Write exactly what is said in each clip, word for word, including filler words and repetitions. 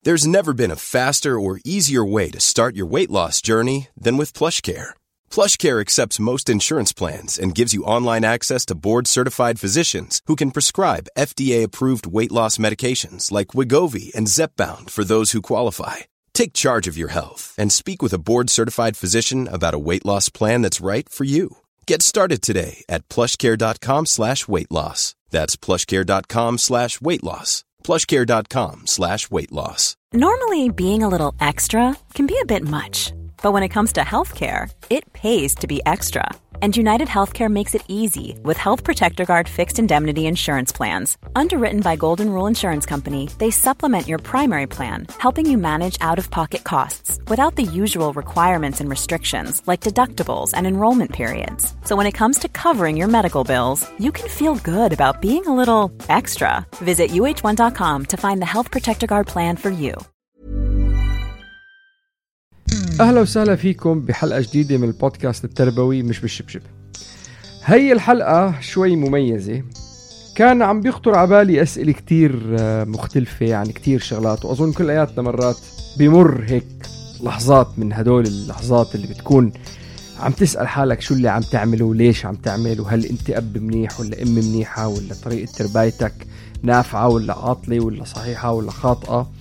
There's never been a faster or easier way to start your weight loss journey than with PlushCare. PlushCare accepts most insurance plans and gives you online access to board-certified physicians who can prescribe F D A-approved weight loss medications like Wegovy and Zepbound for those who qualify. Take charge of your health and speak with a board-certified physician about a weight loss plan that's right for you. Get started today at plushcare.com slash weight loss. That's plushcare.com slash weight loss. plushcare.com slash weight loss. Normally, being a little extra can be a bit much. But when it comes to healthcare, it pays to be extra. And United Healthcare makes it easy with Health Protector Guard fixed indemnity insurance plans. Underwritten by Golden Rule Insurance Company, they supplement your primary plan, helping you manage out-of-pocket costs without the usual requirements and restrictions like deductibles and enrollment periods. So when it comes to covering your medical bills, you can feel good about being a little extra. Visit U H one dot com to find the Health Protector Guard plan for you. أهلا وسهلا فيكم بحلقة جديدة من البودكاست التربوي مش بالشبشب. هي الحلقة شوي مميزة، كان عم بيخطر عبالي أسئلة كتير مختلفة عن كتير شغلات، وأظن كل آياتنا مرات بيمر هيك لحظات من هدول اللحظات اللي بتكون عم تسأل حالك شو اللي عم تعمله وليش عم تعمله، وهل أنت أب منيح ولا أم منيحة، ولا طريقة تربايتك نافعة ولا عاطلة ولا صحيحة ولا خاطئة.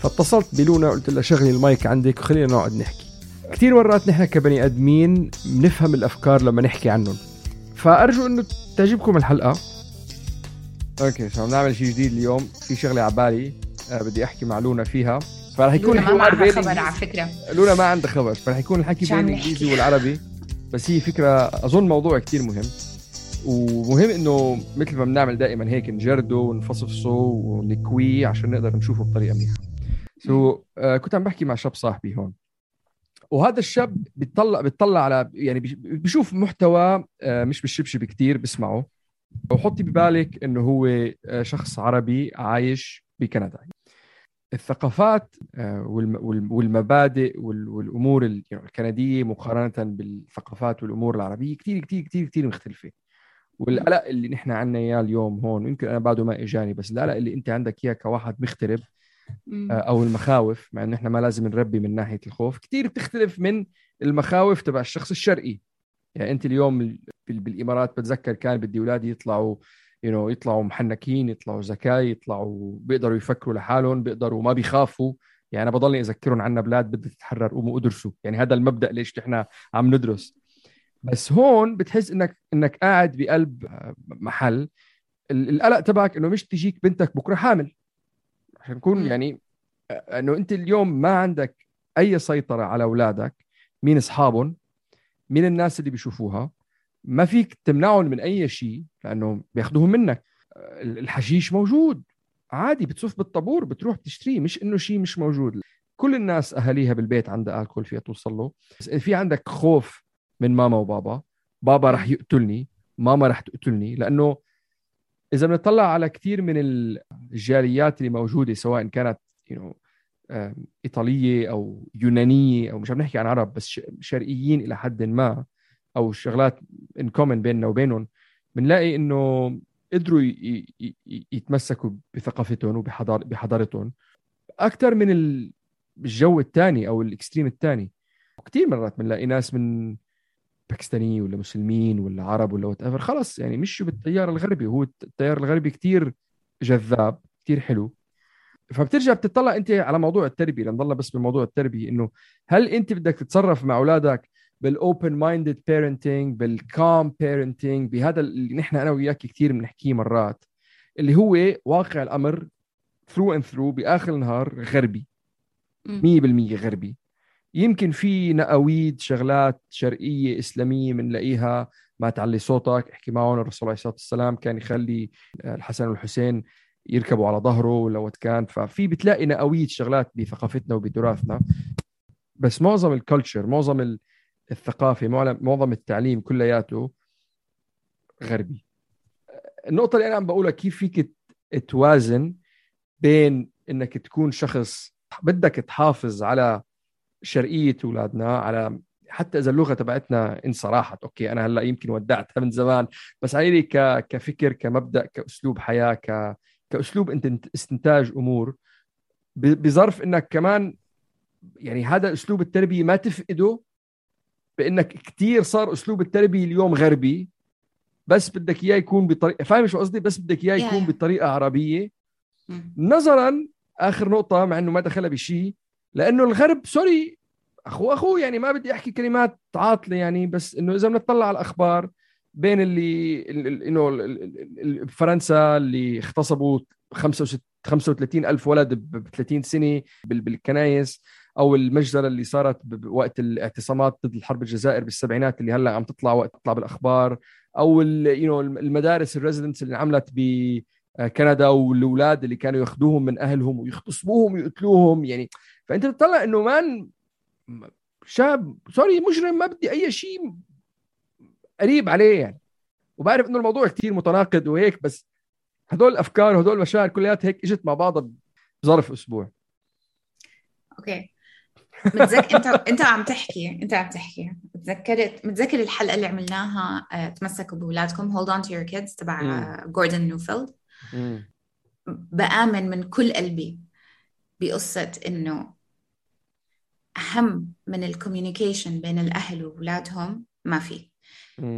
فاتصلت بلونا قلت لها شغلي المايك عندك وخلينا نقعد نحكي. كتير مرات نحن كبني أدمين بنفهم الأفكار لما نحكي عنهم، فأرجو أنه تعجبكم الحلقة. أوكي، سو نعمل شيء جديد اليوم، في شغلة عبالي أه بدي أحكي مع لونا فيها، فرح يكون الحوار بين خبر على فكرة. لونا ما عندها خبر، فرح يكون الحكي بين الإنجليزي والعربي، بس هي فكرة أظن موضوع كتير مهم، ومهم إنه مثل ما بنعمل دائما هيك نجرده ونفصفصه ونكويه عشان نقدر نشوفه بطريقة منيحة. سو so, uh, كنت عم بحكي مع شاب صاحبي هون، وهذا الشاب بيطلع بيطلع على يعني بيشوف محتوى uh, مش بالشبشب كتير بسمعه، وحطي ببالك انه هو uh, شخص عربي عايش بكندا. الثقافات uh, والمبادئ والامور الكنديه مقارنه بالثقافات والامور العربيه كتير كتير كتير كتير مختلفه. والقلق اللي نحن عنا اياه اليوم هون، يمكن انا بعده ما اجاني، بس القلق اللي انت عندك اياه كواحد مغترب أو المخاوف، مع إنه إحنا ما لازم نربي من ناحية الخوف، كتير بتختلف من المخاوف تبع الشخص الشرقي. يعني أنت اليوم بالإمارات بتذكر كان بدي أولادي يطلعوا you know, يطلعوا محنكين، يطلعوا ذكاء، يطلعوا بيقدروا يفكروا لحالهم، بيقدروا ما بيخافوا. يعني أنا بضلني أذكرهم عنا بلاد بدها تتحرر قوموا ادرسوا، يعني هذا المبدأ ليش إحنا عم ندرس. بس هون بتحس إنك إنك قاعد بقلب محل القلق تبعك إنه مش تجيك بنتك بكرة حامل، عشان نكون يعني انه انت اليوم ما عندك اي سيطرة على اولادك، مين اصحابهم، مين الناس اللي بيشوفوها، ما فيك تمنعهم من اي شيء لانه بياخدوهم منك. الحشيش موجود عادي، بتصف بالطابور بتروح بتشتريه، مش انه شيء مش موجود. كل الناس اهاليها بالبيت عندها الكل فيها توصل له. بس في عندك خوف من ماما وبابا، بابا رح يقتلني، ماما رح تقتلني. لانه إذا بنطلع على كتير من الجاليات اللي موجودة سواء كانت you know, إيطالية أو يونانية، أو مش عم نحكي عن عرب بس شرقيين إلى حد ما، أو شغلات in common بيننا وبينهم، بنلاقي إنه قدروا يتمسكوا بثقافتهم وبحضارتهم أكتر من الجو الثاني أو الإكستريم الثاني. وكتير مرات بنلاقي ناس من باكستاني ولا مسلمين ولا عرب ولا whatever خلص يعني مشوا بالتيار الغربي، وهو التيار الغربي كتير جذاب كتير حلو. فبترجع بتطلع انت على موضوع التربية، لنضلنا بس بموضوع التربية، انه هل انت بدك تتصرف مع اولادك بالاوبن مايندد بيرنتينج، بالكام بيرنتينج، بهذا اللي نحن انا وياك كتير بنحكيه مرات، اللي هو واقع الامر ثرو اند ثرو باخر النهار غربي مية بالمية غربي. يمكن في نقاويد شغلات شرقية إسلامية منلاقيها، ما تعلي صوتك، احكي معهم. الرسول عليه الصلاة والسلام كان يخلي الحسن والحسين يركبوا على ظهره لو كان، ففي بتلاقي نقاويد شغلات بثقافتنا وبتراثنا. بس معظم الكولتشر، معظم الثقافة، معظم التعليم كلياته غربي. النقطة اللي أنا عم بقولها كيف فيك توازن بين إنك تكون شخص بدك تحافظ على شرقية أولادنا، على حتى إذا اللغة تبعتنا إن صراحة أوكي أنا هلأ يمكن ودعتها من زمان، بس علي ك... كفكر، كمبدأ، كأسلوب حياة، ك... كأسلوب استنتاج أمور، بظرف انك كمان يعني هذا اسلوب التربيه ما تفقده، بانك كتير صار اسلوب التربيه اليوم غربي، بس بدك اياه يكون بطريقه، فاهم شو قصدي؟ بس بدك اياه يكون يا- يا. بطريقه عربيه. مم. نظرا اخر نقطه، مع انه ما دخلها بشيء، لانه الغرب سوري اخو اخو يعني ما بدي احكي كلمات عاطله يعني، بس انه اذا بنطلع على الاخبار بين اللي انه فرنسا اللي اغتصبوا خمسة وثلاثين ألف ولد ب ثلاثين سنة بالكنايس، أو المجزرة اللي صارت بوقت الاعتصامات ضد الحرب الجزائر بالسبعينات اللي هلأ عم تطلع وقت تطلع بالأخبار، أو المدارس الريزيدنس اللي عملت بكندا والأولاد اللي كانوا ياخدوهم من أهلهم ويغتصبوهم ويقتلوهم يعني. فأنت بتطلع إنه مان شاب سوري مجرم ما بدي أي شيء قريب عليه يعني. وبعرف إنه الموضوع كتير متناقض وهيك، بس هدول الافكار وهدول المشاعر كلياتها هيك اجت مع بعضها بظرف اسبوع. اوكي متذكر انت انت عم تحكي انت عم تحكي تذكرت متذكر الحلقه اللي عملناها آه، تمسكوا باولادكم Hold on to your kids تبع جوردن نيوفيلد. بآمن من كل قلبي بقصه انه اهم من الكوميونيكيشن بين الاهل واولادهم ما في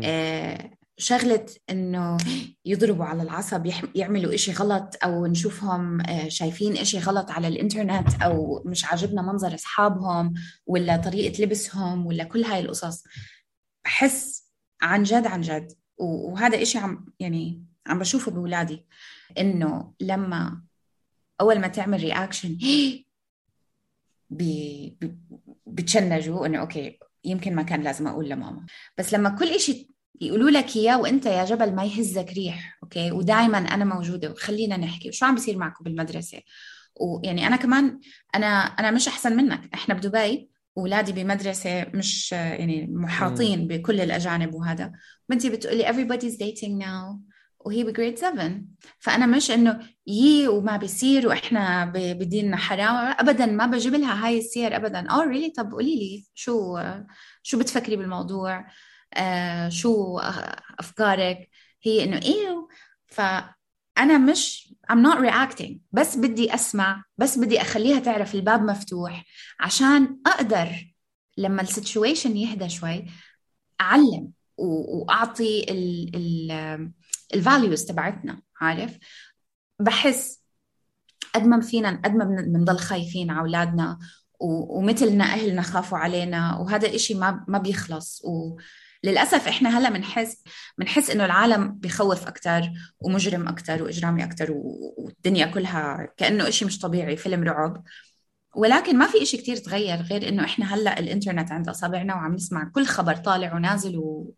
آه شغلة إنه يضربوا على العصب، يعملوا إشي غلط، أو نشوفهم شايفين إشي غلط على الإنترنت، أو مش عاجبنا منظر أصحابهم ولا طريقة لبسهم ولا كل هاي القصص. بحس عن جد عن جد وهذا إشي عم يعني عم بشوفه بولادي، إنه لما أول ما تعمل رياكشن بي بتشنجوا إنه أوكي يمكن ما كان لازم أقول لماما، بس لما كل إشي يقولوا لك إياه وإنت يا جبل ما يهزك ريح أوكي ودائما أنا موجودة وخلينا نحكي وشو عم بيصير معكم بالمدرسة. ويعني أنا كمان أنا أنا مش أحسن منك، إحنا بدبي أولادي بمدرسة مش يعني محاطين بكل الأجانب وهذا، بنتي بتقولي everybody's dating now وهي بجريد سبعة، فأنا مش إنه يي وما بيصير وإحنا بديننا حرام أبدا، ما بجيب لها هاي السير أبدا. أو ريلي طب قولي لي شو شو بتفكري بالموضوع، آه شو أفكارك، هي إنه إيه. فأنا مش I'm not reacting، بس بدي أسمع، بس بدي أخليها تعرف الباب مفتوح عشان أقدر لما السيتويشن يهدى شوي أعلم وأعطي ال ال الفاليوز تبعتنا. عارف بحس قد ما فينا قد ما بنضل خايفين على أولادنا ومثلنا أهلنا خافوا علينا، وهذا الإشي ما ما بيخلص. وللأسف إحنا هلا بنحس بنحس إنه العالم بيخوف أكتر ومجرم أكتر وإجرامي أكتر والدنيا كلها كأنه إشي مش طبيعي، فيلم رعب. ولكن ما في إشي كتير تغير غير إنه إحنا هلا الإنترنت عند أصابعنا وعم نسمع كل خبر طالع ونازل و...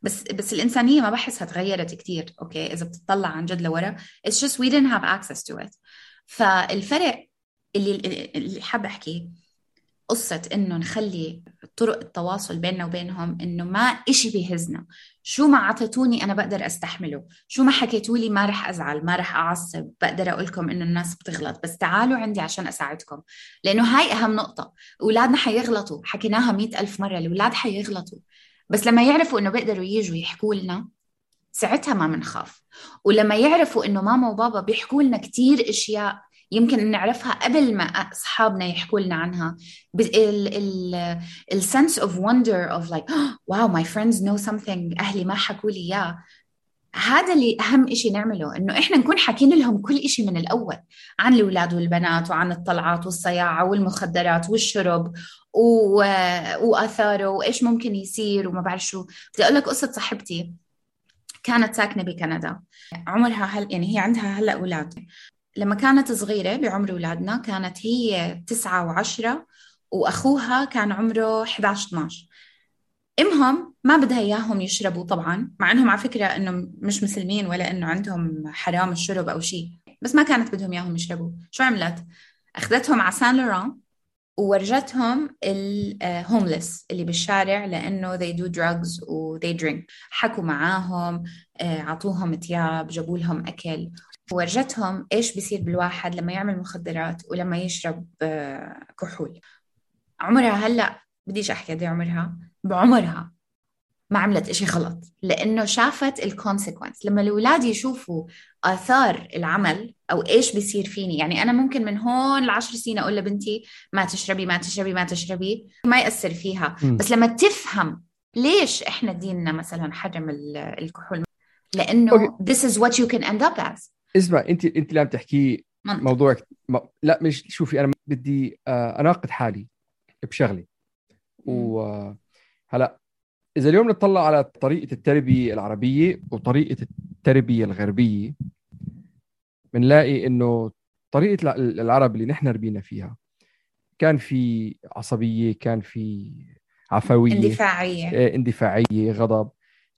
بس بس الإنسانية ما بحسها تغيرت كتير. أوكي إذا بتطلع عن جد لورا it's just we didn't have access to it. فالفرق اللي اللي حاب أحكي قصة إنه نخلي طرق التواصل بيننا وبينهم إنه ما إشي بيهزنا، شو ما عطيتوني أنا بقدر أستحمله، شو ما حكيتولي ما رح أزعل ما رح أعصب، بقدر أقولكم إنه الناس بتغلط بس تعالوا عندي عشان أساعدكم. لأنه هاي أهم نقطة، أولادنا حيغلطوا، حكيناها مئة ألف مرة، الأولاد حيغلطوا، بس لما يعرفوا إنه بيقدروا ييجوا يحكوا لنا ساعتها ما منخاف. ولما يعرفوا إنه ماما وبابا بيحكوا لنا كتير إشياء يمكن نعرفها قبل ما أصحابنا يحكوا لنا عنها، ال sense of wonder of like wow my friends know something أهلي ما حكوا لي إياه. هذا اللي أهم إشي نعمله، إنه إحنا نكون حكين لهم كل إشي من الأول عن الأولاد والبنات وعن الطلعات والصياعة والمخدرات والشرب و... وآثاره وإيش ممكن يصير وما بعرف شو. بدي أقول لك قصة صاحبتي كانت ساكنة بكندا، عمرها هل يعني هي عندها هلأ أولاد. لما كانت صغيرة بعمر أولادنا كانت هي تسعة وعشرة وأخوها كان عمره إحدى عشر اثنا عشر. إمهم ما بدها إياهم يشربوا طبعاً، مع أنهم على فكرة أنهم مش مسلمين ولا أنه عندهم حرام الشرب أو شيء، بس ما كانت بدهم إياهم يشربوا. شو عملت؟ أخذتهم على سان لوران وورجتهم الهوملس اللي بالشارع لأنه they do drugs و they drink. حكوا معاهم، عطوهم تياب، جابوا لهم أكل، ورجتهم إيش بيصير بالواحد لما يعمل مخدرات ولما يشرب كحول. عمرها هلأ بديش أحكي دي عمرها، بعمرها ما عملت إشي غلط، لأنه شافت الكونسيكونس. لما الأولاد يشوفوا آثار العمل أو إيش بيصير فيني، يعني أنا ممكن من هون لعشر سنين أقول لبنتي ما تشربي ما تشربي ما تشربي، ما يأثر فيها. م. بس لما تفهم ليش إحنا ديننا مثلا حرم الكحول، لأنه okay. this is what you can end up as. اسمع، أنت أنت اللي عم تحكي موضوع م... لا مش شوفي، أنا بدي أناقض حالي بشغلي. وهلأ إذا اليوم نطلع على طريقة التربية العربية وطريقة التربية الغربية، بنلاقي إنه طريقة العرب اللي نحن ربينا فيها كان في عصبية، كان في عفوية، اندفاعية اندفاعية غضب،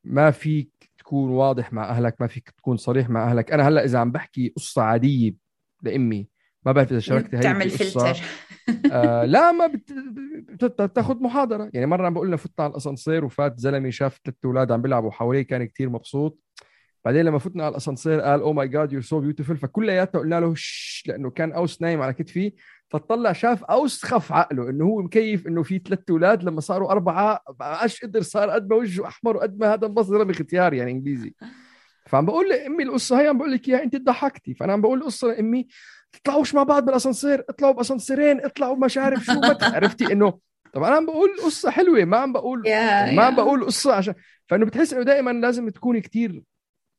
ما فيك تكون واضح مع أهلك، ما فيك تكون صريح مع أهلك. أنا هلأ إذا عم بحكي قصة عادية لأمي، ما بعرف إذا شاركت هاي تعمل فلتر. آه لا ما بت... بتاخد محاضرة. يعني مرة عم بقول لنا فتنا على الأسانسير وفات زلمي شاف ثلاث أولاد عم بيلعبوا حواليه، كان كتير مبسوط. بعدين لما فتنا على الأسانسير قال أو ماي جاد يور سو بيوتيفل، فكلياتنا قلنا له شش، لأنه كان أوس نايم على كتفي، فطلع شاف أوس خف عقله إنه هو مكيف إنه في ثلاث أولاد، لما صاروا أربعة عاش قدر صار قد ما وجهه أحمر وقد ما هذا انبسط زلمي ختيار يعني إنجليزي. فعم بقول لأمي القصة هي، عم بقول لك إياها أنت ضحكتي. فأنا عم بقول القصة لأمي تطلعوش مع بعض بالأسانسير، اطلعوا بأسانسيرين، اطلعوا مش عارف شو ما عرفتي إنه طب أنا عم بقول قصة حلوة، ما عم بقول يعني ما عم بقول قصة عشان. فإنه بتحس إنه دائما لازم تكوني كتير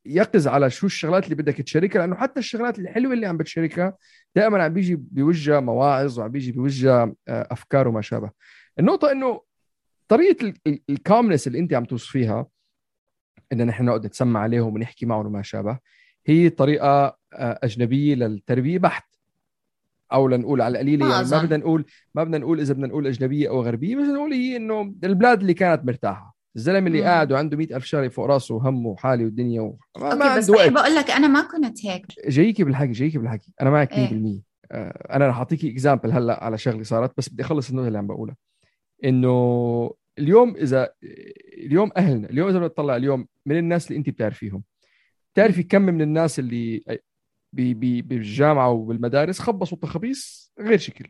يقظ على شو الشغلات اللي بدك تشاركها، لأنه حتى الشغلات الحلوة اللي عم بتشاركها دائما عم بيجي بوجه مواعظ وعم بيجي بوجه أفكار وما شابه. النقطة إنه طريقة الكامنس اللي أنت عم توصفيها إن نحن نقعد نتسمع عليهم ونحكي معهم وما شابه، هي طريقة أجنبية للتربية بحت، أو لنقول على القليلة ما يعني ما بدنا نقول ما بدنا نقول إذا بدنا نقول أجنبية أو غربية، بس نقول هي إنه البلاد اللي كانت مرتاحة، الزلمة اللي قاعد وعنده مئة ألف شغلة فوق راسه وهمه وحالي والدنيا و... ما أوكي، بس بحب أقول لك أنا ما كنت هيك. جايكي بالحكي جايكي بالحكي أنا معك مية بالمية. آه أنا رح أعطيكي إكزامبل هلأ على شغلة صارت، بس بدي أخلص النقطة اللي عم بقولها. إنه اليوم إذا اليوم أهلنا اليوم إذا بنطلع اليوم من الناس اللي أنت بتعرفيهم، تعرفي كم من الناس اللي بي بي بالجامعة وبالمدارس خبصوا تخبيص غير شكل،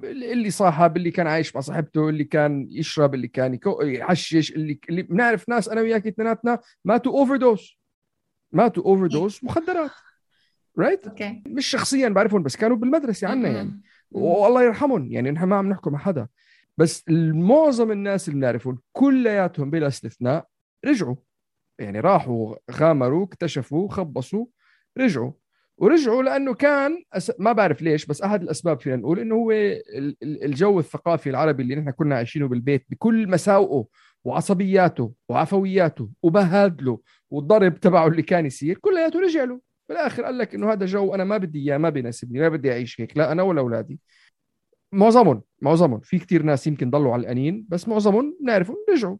اللي صاحب، اللي كان عايش مع صاحبته، اللي كان يشرب، اللي كان يحشش، اللي اللي بنعرف ناس أنا وياك اثنيناتنا ماتوا أوفر دوز ماتوا أوفر دوز مخدرات رايت right? okay. مش شخصيا بعرفهم بس كانوا بالمدرسة عنا يعني والله يرحمهم، يعني نحن ما عم نحكم مع حدا، بس معظم الناس اللي بنعرفهم كلياتهم بلا استثناء رجعوا، يعني راحوا غامروا اكتشفوا خبصوا رجعوا ورجعوا لأنه كان أس... ما بعرف ليش، بس أحد الأسباب فينا نقول إنه هو الجو الثقافي العربي اللي نحن كنا عايشينه بالبيت بكل مساوئه وعصبياته وعفوياته وبهادله والضرب تبعه اللي كان يصير كلياته رجع له بالآخر. قال لك إنه هذا جو أنا ما بدي إياه، ما بيناسبني، ما بدي أعيش هيك، لا أنا ولا أولادي. معظمهم معظمهم في كتير ناس يمكن ضلوا على القنين، بس معظمهم نعرفهم رجعوا.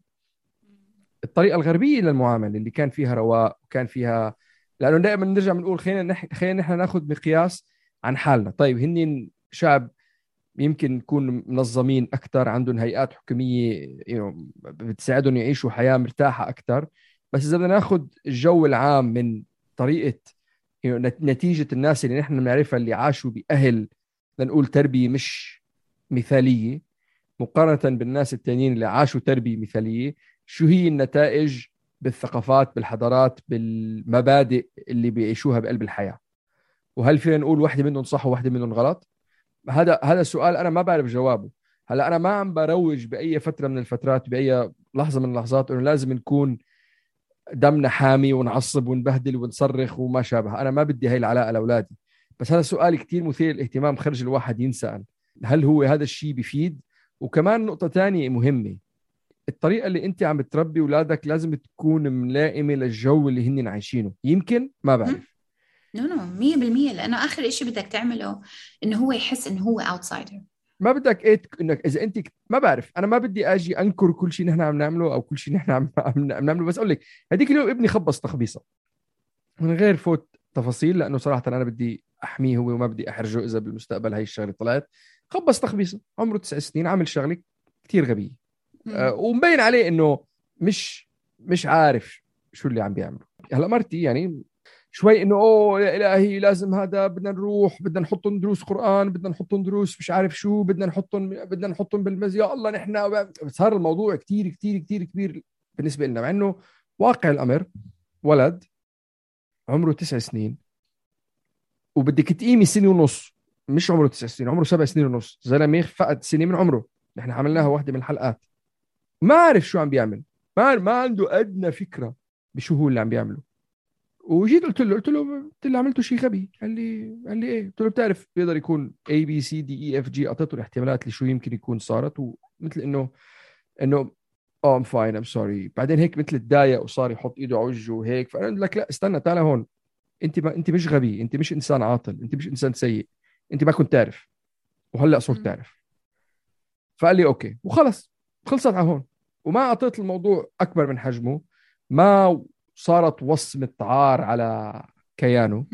الطريقة الغربية للمعاملة اللي كان فيها رواء وكان فيها، لأنه دائما نرجع بنقول خلينا نح... خلينا نحن ناخذ مقياس عن حالنا. طيب هني شعب يمكن يكون منظمين أكتر، عندهم هيئات حكومية you know, بتساعدهم يعيشوا حياة مرتاحة أكتر، بس إذا بدنا ناخذ الجو العام من طريقة you know, نتيجة الناس اللي نحن نعرفها اللي عاشوا بأهل لنقول تربية مش مثالية مقارنة بالناس التانيين اللي عاشوا تربية مثالية، شو هي النتائج بالثقافات بالحضارات بالمبادئ اللي بيعيشوها بقلب الحياة؟ وهل فينا نقول واحدة منهم صح وواحدة منهم غلط؟ هذا هذا السؤال أنا ما بعرف جوابه. هلا أنا ما عم بروج بأي فترة من الفترات بأي لحظة من اللحظات إنه لازم نكون دمنا حامي ونعصب ونبهدل ونصرخ وما شابه، أنا ما بدي هاي العلاقة لأولادي، بس هذا سؤال كتير مثير للاهتمام خرج الواحد ينسأل هل هو هذا الشيء بيفيد؟ وكمان نقطة تانية مهمة، الطريقة اللي انت عم بتربي أولادك لازم تكون ملائمة للجو اللي هن عايشينه. يمكن ما بعرف نو نو مية بالمية، لأنه آخر إشي بدك تعمله إنه هو يحس إنه هو outsider. ما بدك إيه إنك إذا أنت ما بعرف، أنا ما بدي أجي أنكر كل شيء نحن عم نعمله أو كل شيء نحن عم نعمله، بس أقول لك هديك اليوم ابني خبص تخبيصة من غير فوت تفاصيل، لأنه صراحة أنا بدي أحميه هو وما بدي أحرجه إذا بالمستقبل هاي الشغلة طلعت. خبص تخبيصة عمره تسع سنين، عامل شغلة كتير غبية أه ومبين عليه إنه مش مش عارف شو اللي عم بيعمله. هلا مرتي يعني شوي إنه أوه يا إلهي لازم هذا بدنا نروح بدنا نحطهم دروس قرآن بدنا نحطهم دروس مش عارف شو بدنا نحطهم بدنا نحطهم بالمز يا الله نحن. صار الموضوع كتير كتير كتير كبير بالنسبة لنا، مع إنه واقع الأمر ولد عمره تسع سنين وبدك تقيمي سنة ونص، مش عمره تسع سنين، عمره سبع سنين ونص، زلمة فقد سنة من عمره. نحن عملناها واحدة من الحلقات. ما عارف شو عم بيعمل، ما ما عنده أدنى فكرة بشو هو اللي عم بيعمله. وجيت قلت له قلت له قلت له عملته شيء غبي. قال لي قال لي ايه؟ قلت له بتعرف بيقدر يكون A B C D E F G، اعطيته الاحتمالات اللي شو يمكن يكون صارت، ومثل انه انه اه ام فاين ام سوري، بعدين هيك مثل تضايق وصار يحط ايده على وجهه وهيك. فانا قلت لك لا استنى، تعال هون، انت ما انت مش غبي، انت مش انسان عاطل، انت مش انسان سيء، انت ما كنت تعرف وهلا صرت تعرف. فقال لي اوكي وخلص، خلصت على هون. وما اعطيت الموضوع اكبر من حجمه، ما صارت وصمة عار على كيانه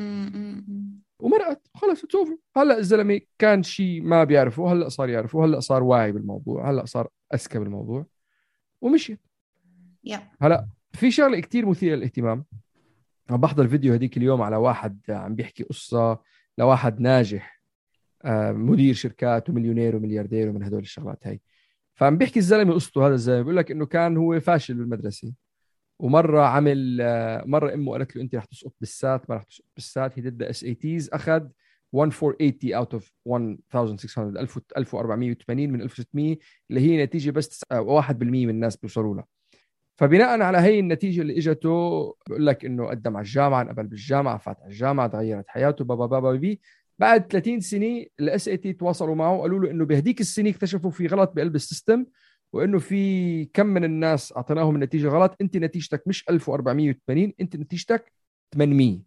ومرقت، خلص تشوفوا. هلا الزلمه كان شيء ما بيعرفه، هلا صار يعرفه، هلا صار واعي بالموضوع، هلا صار اذكى بالموضوع ومشي. yeah. هلا في شغله كتير مثيره للاهتمام، عم بحضر فيديو هديك اليوم على واحد عم بيحكي قصه لواحد ناجح مدير شركات ومليونير وملياردير ومن هدول الشغلات هاي. فعم بيحكي الزلمه قصته، هذا الزلمه بيقول لك انه كان هو فاشل بالمدرسه، ومره عمل مره امه قالت له انت رح تسقط بالسات، ما رح تسقط بالسات، هي ضد اس اي تيز، اخذ ألف وأربعمية وثمانين اوت اوف ألف وأربعمية وثمانين من ألف وستمية، اللي هي نتيجه بس واحد بالمية من الناس بيوصلوا لها. فبناء على هي النتيجه اللي اجته بقول لك انه قدم على الجامعه، انقبل بالجامعه، فات على الجامعه، تغيرت حياته بابا بابا بي. بعد ثلاثين سنه الاس اي تي تواصلوا معه وقالوا له انه بهديك السنه اكتشفوا في غلط بقلب السيستم، وانه في كم من الناس اعطيناهم النتيجه غلط، انت نتيجتك مش ألف وأربعمية وثمانين، انت نتيجتك ثمانمية.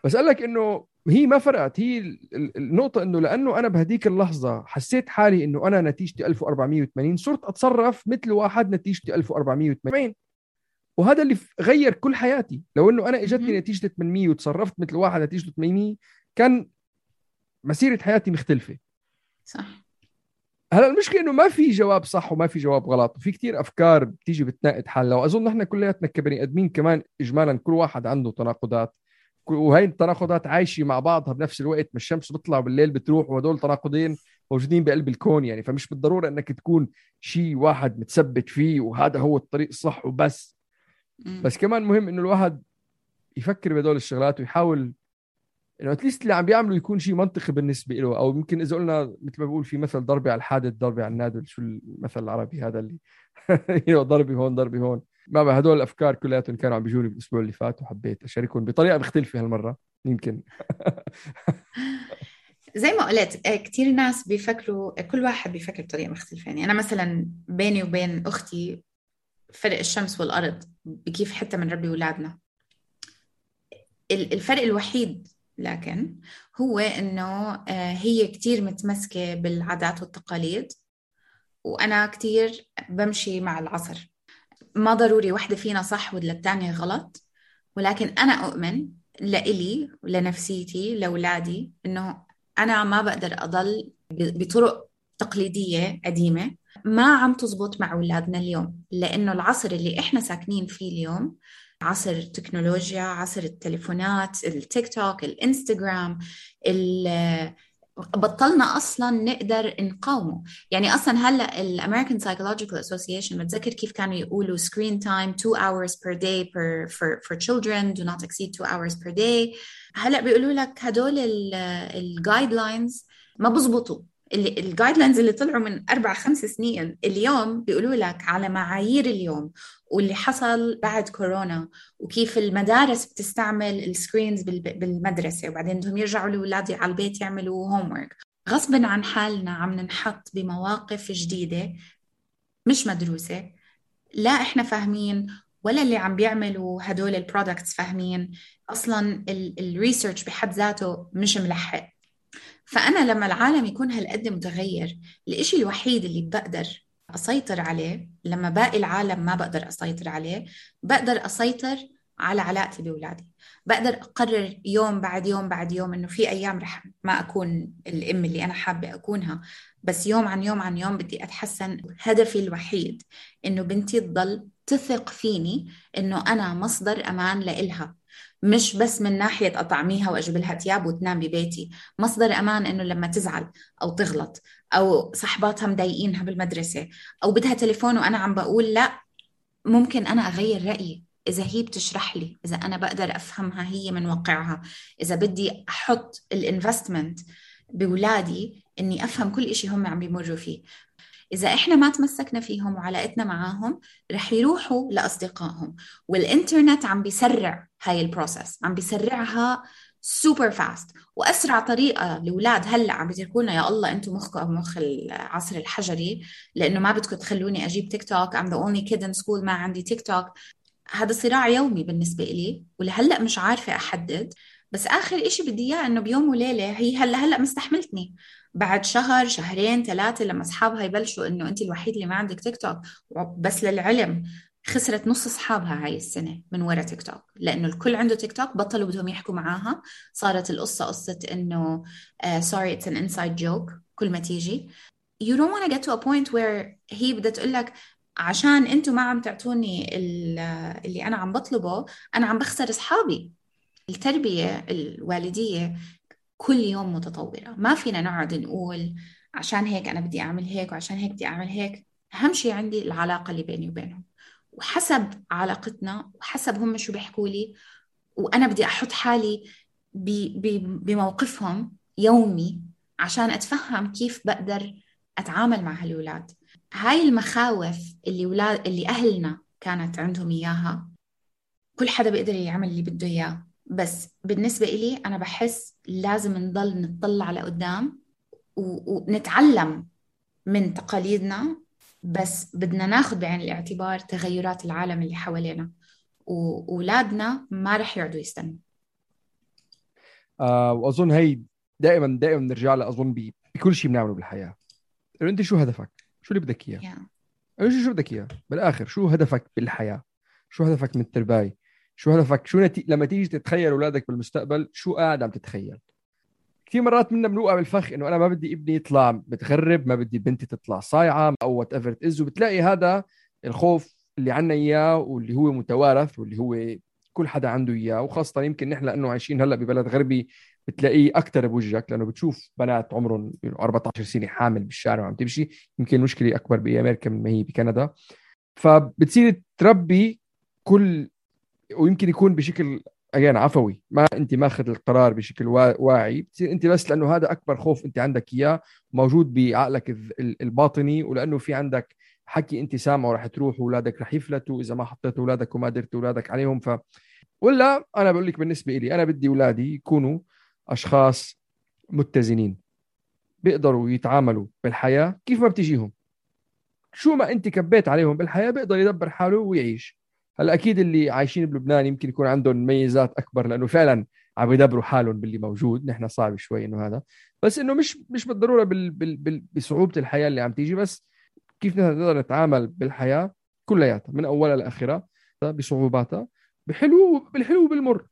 بس قال لك انه هي ما فرقت، هي النقطه انه لانه انا بهديك اللحظه حسيت حالي انه انا نتيجتي ألف وأربعمية وثمانين، صرت اتصرف مثل واحد نتيجتي ألف وأربعمية وثمانين، وهذا اللي غير كل حياتي. لو انه انا اجتني نتيجه ثمانمية وتصرفت مثل واحد نتيجته ثمانمية، كان مسيره حياتي مختلفه. صح. هلا المشكله انه ما في جواب صح وما في جواب غلط، وفي كتير افكار بتيجي بتناقض حالها، واظن احنا كلياتنا كبني ادمين كمان اجمالا كل واحد عنده تناقضات، وهي التناقضات عايشه مع بعضها بنفس الوقت. ما الشمس بتطلع بالليل بتروح، وهدول تناقضين موجودين بقلب الكون يعني. فمش بالضروره انك تكون شيء واحد متثبت فيه وهذا هو الطريق الصح وبس. بس كمان مهم انه الواحد يفكر بهدول الشغلات ويحاول انه اتليست اللي عم بيعمله يكون شيء منطقي بالنسبه له. او ممكن اذا قلنا مثل ما بقول في مثل ضربي على الحادث ضربي على النادل، شو المثل العربي هذا اللي ضربي هون ضربي هون. ما بقى هدول الافكار كلياتهم كانوا عم بيجوني بالاسبوع اللي فات، وحبيت اشاركهم بطريقه مختلفه هالمره يمكن. زي ما قلت كتير ناس بيفكروا، كل واحد بيفكر بطريقه مختلفه. يعني انا مثلا بيني وبين اختي فرق الشمس والارض بكيف حتى من ربي اولادنا. الفرق الوحيد لكن هو إنه هي كتير متمسكة بالعادات والتقاليد، وأنا كتير بمشي مع العصر. ما ضروري واحدة فينا صح والتانية غلط، ولكن أنا أؤمن لإلي ولنفسيتي لأولادي إنه أنا ما بقدر أضل بطرق تقليدية قديمة ما عم تزبط مع أولادنا اليوم، لأنه العصر اللي إحنا ساكنين فيه اليوم عصر التكنولوجيا، عصر التليفونات، التيك توك، الانستغرام، بطلنا أصلا نقدر نقاومه. يعني أصلا هلأ الأمريكان Psychological Association بتذكر كيف كانوا يقولوا screen time two hours per day per, for, for children do not exceed two hours per day. هلأ بيقولوا لك هدول الجايدلاينز ما بزبطوا. الجايدلاينز اللي طلعوا من أربع خمس سنين اليوم بيقولوا لك على معايير اليوم، واللي حصل بعد كورونا، وكيف المدارس بتستعمل السكرينز بالمدرسة، وبعدين بدهم يرجعوا لأولادي على البيت يعملوا هومورك. غصبا عن حالنا عم ننحط بمواقف جديدة مش مدروسة، لا إحنا فاهمين ولا اللي عم بيعملوا هدول البرودكتس فاهمين. أصلا الريسيرش بحد ذاته مش ملحق. فأنا لما العالم يكون هالقد متغير، الإشي الوحيد اللي بقدر أسيطر عليه لما باقي العالم ما بقدر أسيطر عليه، بقدر أسيطر على علاقتي بأولادي. بقدر أقرر يوم بعد يوم بعد يوم إنه في أيام رح ما أكون الأم اللي أنا حابة أكونها، بس يوم عن يوم عن يوم بدي أتحسن. هدفي الوحيد إنه بنتي تضل تثق فيني إنه أنا مصدر أمان لإلها، مش بس من ناحية أطعميها وأجيب لها تياب وتنام ببيتي، مصدر أمان إنه لما تزعل أو تغلط أو صحباتها مضايقينها بالمدرسة أو بدها تليفون وأنا عم بقول لا ممكن أنا أغير رأيي إذا هي بتشرح لي، إذا أنا بقدر أفهمها هي من واقعها، إذا بدي أحط الانفستمنت بولادي إني أفهم كل إشي هم عم بيمروا فيه. إذا إحنا ما تمسكنا فيهم وعلاقتنا معاهم رح يروحوا لأصدقائهم. والإنترنت عم بيسرع هاي البروسس، عم بيسرعها سوبر فاست. وأسرع طريقة لأولاد هلأ عم بيتركونا يا الله أنتم مخكم أو مخ العصر الحجري، لأنه ما بدكم تخلوني أجيب تيك توك. I'm the only kid in school ما عندي تيك توك. هذا صراع يومي بالنسبة إلي، ولهلأ مش عارفة أحدد. بس آخر إشي بدي إياه إنه بيوم وليلة هي هلأ هلأ مستحملتني، بعد شهر شهرين ثلاثة لما أصحابها يبلشوا إنه أنت الوحيد اللي ما عندك تيك توك. بس للعلم خسرت نص أصحابها هاي السنة من وراء تيك توك، لأنه الكل عنده تيك توك بطلوا بدهم يحكوا معاها. صارت القصة قصة إنه uh, sorry it's an inside joke كل ما تيجي. you don't want to get to a point where هي بدها تقول لك عشان أنتوا ما عم تعطوني اللي أنا عم بطلبه أنا عم بخسر أصحابي. التربية الوالدية كل يوم متطورة، ما فينا نقعد نقول عشان هيك أنا بدي أعمل هيك وعشان هيك بدي أعمل هيك. أهم شيء عندي العلاقة اللي بيني وبينهم، وحسب علاقتنا وحسب هم شو بيحكوا لي، وأنا بدي أحط حالي بموقفهم يومي عشان أتفهم كيف بقدر أتعامل مع هالولاد. هاي المخاوف اللي ولاد اللي أهلنا كانت عندهم إياها كل حدا بيقدر يعمل اللي بده إياه. بس بالنسبة إلي أنا بحس لازم نضل نطلع لقدام ونتعلم من تقاليدنا، بس بدنا ناخد بعين الاعتبار تغيرات العالم اللي حوالينا، وأولادنا ما رح يقعدوا يستنوا. آه وأظن هي دائما دائما نرجع لها أظن بكل شيء بنعمله بالحياة. أنت شو هدفك؟ شو اللي بدك إياه؟ yeah. شو شو بدك إياه بالآخر؟ شو هدفك بالحياة؟ شو هدفك من التربية؟ شو هدفك؟ شو نتي... لما تيجي تتخيل أولادك بالمستقبل شو قاعد عم تتخيل؟ كثير مرات منا بنوقع بالفخ إنه أنا ما بدي ابني يطلع متغرب، ما بدي بنتي تطلع صايعة أو whatever it is، وبتلاقي هذا الخوف اللي عنا إياه واللي هو متوارث واللي هو كل حدا عنده إياه، وخاصة يمكن نحن لأنه عايشين هلأ ببلد غربي بتلاقيه أكتر بوجهك، لأنه بتشوف بنات عمرهم أربعة عشر سنة حامل بالشارع وعم تمشي. يمكن المشكلة أكبر بأمريكا من ما هي بكندا. فبتصير تربي كل، ويمكن يكون بشكل أجان عفوي، ما أنت ماخذ القرار بشكل واعي، بتصير أنت بس لأنه هذا أكبر خوف أنت عندك إياه موجود بعقلك الباطني، ولأنه في عندك حكي أنت سامعه رح تروح وأولادك رح يفلتوا إذا ما حطيت أولادك وما درت أولادك عليهم. ف ولا أنا بقول لك بالنسبة لي أنا بدي أولادي يكونوا أشخاص متزنين، بيقدروا يتعاملوا بالحياة كيف ما بتجيهم، شو ما أنت كبيت عليهم بالحياة بيقدر يدبر حاله ويعيش. هلا أكيد اللي عايشين بلبنان يمكن يكون عندهم ميزات أكبر لأنه فعلا عم يدبروا حالهم باللي موجود. نحن صعب شوي إنه هذا، بس إنه مش مش بالضرورة بال بال بال بصعوبة الحياة اللي عم تيجي، بس كيف نقدر نتعامل بالحياة كلياتها من أولها لآخرها بصعوباتها، بحلو بالحلو بالمر.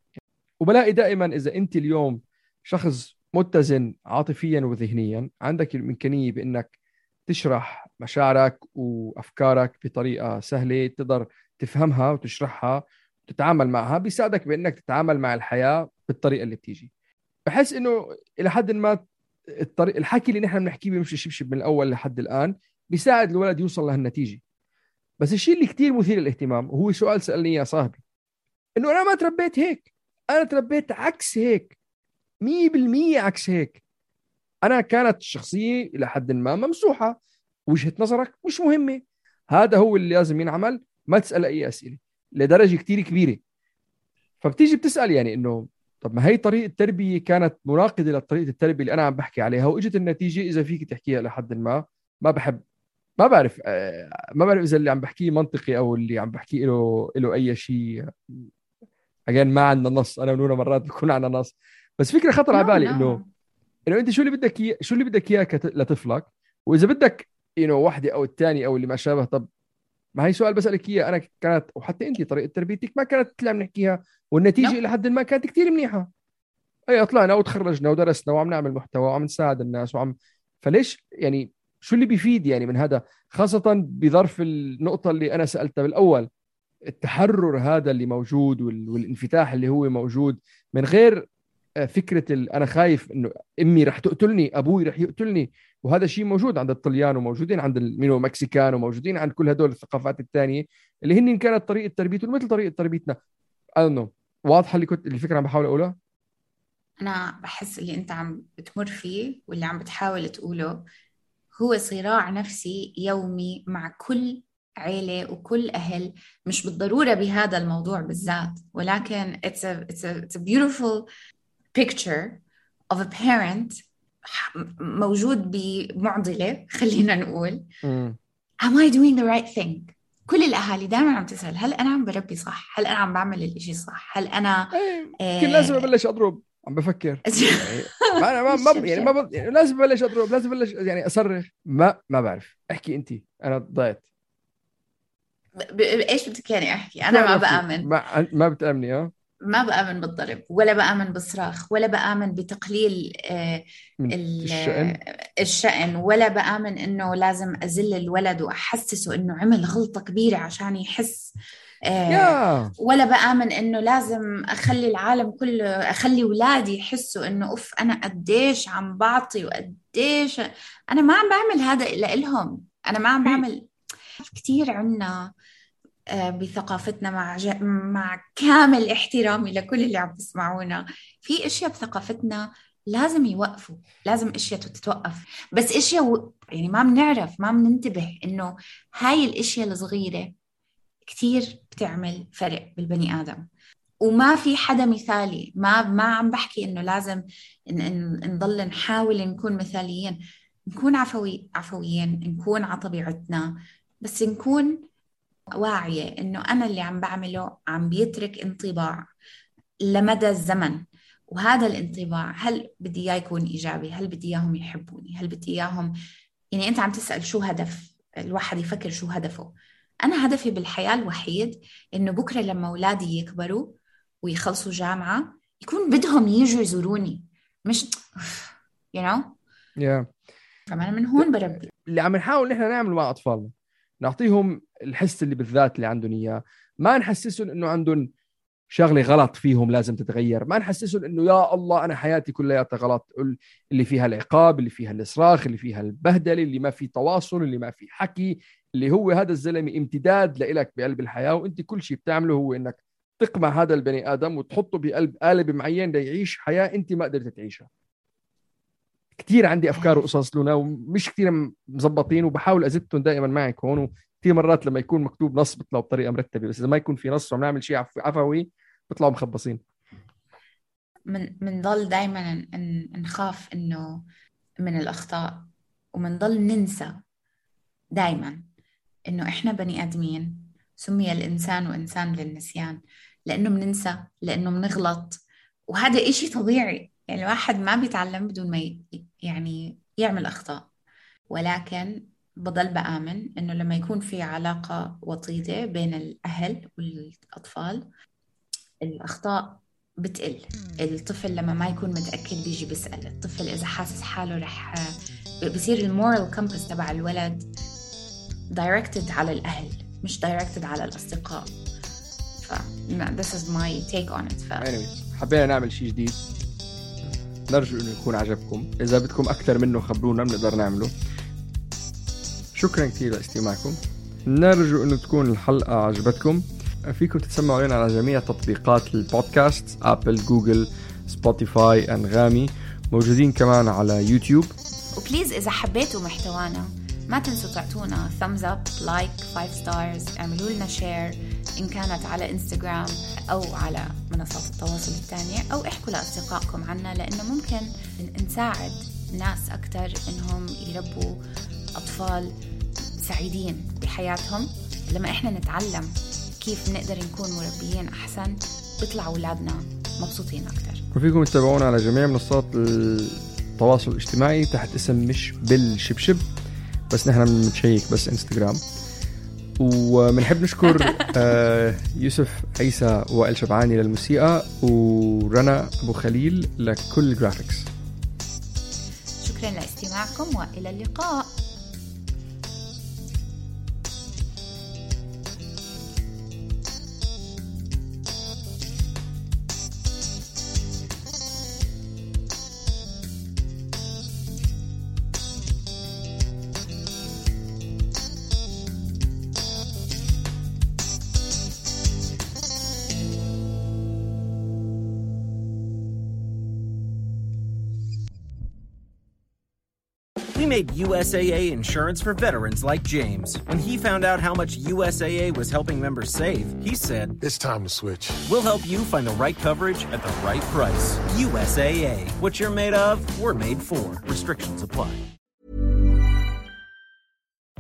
وبلاقي دائما إذا أنت اليوم شخص متزن عاطفيا وذهنيا عندك الإمكانية بأنك تشرح مشاعرك وأفكارك بطريقة سهلة تقدر تفهمها وتشرحها وتتعامل معها، بيساعدك بأنك تتعامل مع الحياة بالطريقة اللي بتيجي. بحس إنه إلى حد ما الطريق الحكي اللي نحن بنحكيه بيمشي شبشب من الأول لحد الآن بيساعد الولد يوصل لهالنتيجة. بس الشيء اللي كتير مثير للاهتمام وهو سؤال سألني يا صاحبي، إنه أنا ما تربيت هيك، أنا تربيت عكس هيك، مية بالمية عكس هيك. أنا كانت الشخصية إلى حد ما ممسوحة، وجهة نظرك مش مهمة، هذا هو اللي لازم ينعمل، ما تسأل أي أسئلة لدرجة كتير كبيرة. فبتيجي بتسأل يعني إنه طب ما هي طريقة التربية كانت مناقضة لطريقة التربية اللي أنا عم بحكي عليها، وإجت النتيجة إذا فيك تحكيها لحد ما ما بحب ما بعرف ما بعرف إذا اللي عم بحكيه منطقي أو اللي عم بحكيه له له أي شيء. أجان ما عندنا نص، أنا ونونا مرات بكون عندنا نص، بس فكرة خطر على بالي إنه إنه أنت شو اللي بدك إياه، شو اللي بدك إياه لطفلك، وإذا بدك إنه واحدة أو الثاني أو اللي ما شابه. طب ما هي سؤال بسألك إياه أنا، كانت وحتى أنت طريقة تربيتك ما كانت اللي عم نحكيها، والنتيجة إلى حد ما كانت كتير منيحة. أي طلعنا وتخرجنا ودرسنا وعم نعمل محتوى وعم نساعد الناس وعم، فليش يعني شو اللي بيفيد يعني من هذا، خاصة بظرف النقطة اللي أنا سألتها بالأول، التحرر هذا اللي موجود والانفتاح اللي هو موجود من غير فكرة أنا خايف إنه أمي رح تقتلني، أبوي رح يقتلني، وهذا الشيء موجود عند الطليان وموجودين عند المينو مكسيكان وموجودين عند كل هدول الثقافات الثانية اللي هن كانت طريقة تربيتهم مثل طريقة تربيتنا. I don't know. واضحة اللي كنت الفكرة عم بحاول أقولها؟ أنا بحس اللي أنت عم بتمر فيه واللي عم بتحاول تقوله هو صراع نفسي يومي مع كل عيلة وكل أهل، مش بالضرورة بهذا الموضوع بالذات، ولكن it's a, it's a, it's a beautiful picture of a parent موجود بمعضلة، خلينا نقول م. am I doing the right thing؟ كل الأهالي دائما عم تسأل هل أنا عم بربي صح؟ هل أنا عم بعمل الإشي صح؟ هل أنا كل لازم أبلش أضرب؟ عم بفكر يعني ما ما ما يعني ما ب... يعني لازم أبلش أضرب، لازم أبلش يعني أصرخ، ما ما بعرف. احكي أنتي، أنا ضايت. ب... إيش بدك يعني أحكي؟ أنا ما بآمن. ما ما بتأمني ها؟ ما بآمن بالضرب ولا بآمن بالصراخ ولا بآمن بتقليل آه الشأن. الشأن ولا بآمن إنه لازم أزل الولد وأحسسه إنه عمل غلطة كبيرة عشان يحس آه yeah. ولا بآمن إنه لازم أخلي العالم كله، أخلي ولادي يحسوا إنه أوف أنا قديش عم بعطي وقديش أنا ما عم بعمل هذا إلا إلهم. أنا ما عم بعمل كتير. عنا بثقافتنا مع ج... مع كامل احترامي لكل اللي عم تسمعونا، في اشياء بثقافتنا لازم يوقفوا، لازم اشياء تتوقف، بس اشياء و... يعني ما بنعرف، ما بننتبه انه هاي الاشياء الصغيرة كتير بتعمل فرق بالبني آدم. وما في حدا مثالي، ما ما عم بحكي انه لازم ن... ن... نضل نحاول نكون مثاليين، نكون عفوي عفويين، نكون على طبيعتنا، بس نكون واعية إنه أنا اللي عم بعمله عم بيترك انطباع لمدى الزمن، وهذا الانطباع هل بدي إياه يكون إيجابي، هل بدي إياهم يحبوني، هل بدي إياهم يعني أنت عم تسأل شو هدف الواحد، يفكر شو هدفه. أنا هدفي بالحياة الوحيد إنه بكرة لما أولادي يكبروا ويخلصوا جامعة يكون بدهم يجوا يزوروني، مش you know yeah. فأنا من هون بربي. اللي عم نحاول نحن نعمله مع أطفالنا نعطيهم الحس اللي بالذات اللي عندهم إياه، ما نحسسهم إنه عندهم شغلة غلط فيهم لازم تتغير، ما نحسسهم إنه يا الله أنا حياتي كلها غلط، اللي فيها العقاب، اللي فيها الإصراخ، اللي فيها البهدلة، اللي ما في تواصل، اللي ما في حكي، اللي هو هذا الزلمة امتداد لإلك بقلب الحياة، وإنت كل شيء بتعمله هو إنك تقمع هذا البني آدم وتحطه بقلب قالب معين ليعيش حياة أنت ما قدرت تعيشها. كتير عندي أفكار وقصص لنا ومش كتير مزبطين، وبحاول أزدهم دائما معك هون. في مرات لما يكون مكتوب نص بيطلعوا بطريقة مرتبة، بس إذا ما يكون في نص ونعمل شيء عفوي بيطلعوا مخبصين. من منضل دائما نخاف إنه من الأخطاء، ومنضل ننسى دائما إنه إحنا بني آدمين، سمي الإنسان وإنسان للنسيان، لأنه مننسى، لأنه منغلط، وهذا إشي طبيعي. يعني الواحد ما بيتعلم بدون ما يعني يعمل أخطاء، ولكن بضل بآمن إنه لما يكون في علاقة وطيدة بين الأهل والأطفال الأخطاء بتقل. الطفل لما ما يكون متأكد بيجي بيسأل، الطفل إذا حاسس حاله رح بصير المورال كومباس تبع الولد directed على الأهل مش directed على الأصدقاء. ف this is my take on it. ف... anyway, حبينا نعمل شيء جديد، نرجو إنه يكون عجبكم. إذا بدكم أكثر منه خبرونا بنقدر نعمله. شكرا كثير لاستماعكم، نرجو إنه تكون الحلقة عجبتكم. فيكم تتسمعوا لنا على جميع تطبيقات البودكاست، أبل، جوجل، سبوتيفاي، أنغامي، موجودين كمان على يوتيوب. وبليز إذا حبيتوا محتوانا ما تنسوا تعطونا thumbs up, like, five stars، اعملوا لنا share إن كانت على إنستغرام أو على منصات التواصل الثانية، أو احكوا لأصدقائكم عنا، لأنه ممكن نساعد ناس أكتر إنهم يربوا أطفال سعيدين بحياتهم. لما إحنا نتعلم كيف نقدر نكون مربيين أحسن بيطلع أولادنا مبسوطين أكتر. وفيكم تتابعونا على جميع منصات التواصل الاجتماعي تحت اسم مش بالشبشب، بس نحن بنشيك بس انستغرام. وبنحب نشكر يوسف عيسى وائل شبعاني للموسيقى، ورنا أبو خليل لكل الجرافيكس. شكرا لاستماعكم وإلى اللقاء. made U S A A insurance for veterans like James. When he found out how much U S A A was helping members save, he said, "It's time to switch." We'll help you find the right coverage at the right price. U S A A. What you're made of, we're made for. Restrictions apply.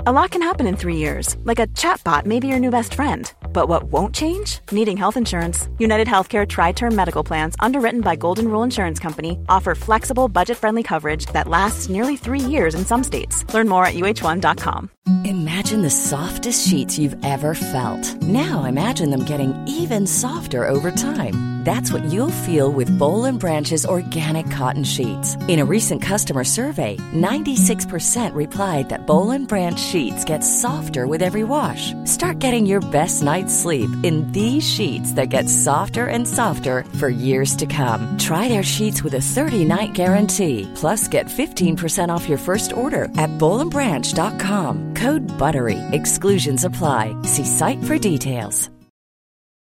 A lot can happen in three years, like a chatbot may be your new best friend. But what won't change? Needing health insurance. United Healthcare Tri-Term Medical Plans, underwritten by Golden Rule Insurance Company, offer flexible, budget-friendly coverage that lasts nearly three years in some states. Learn more at U H one dot com. Imagine the softest sheets you've ever felt. Now imagine them getting even softer over time. That's what you'll feel with Boll and Branch's organic cotton sheets. In a recent customer survey, ninety-six percent replied that Boll and Branch sheets get softer with every wash. Start getting your best night's sleep in these sheets that get softer and softer for years to come. Try their sheets with a thirty-night guarantee. Plus, get fifteen percent off your first order at boll and branch dot com. Code BUTTERY. Exclusions apply. See site for details.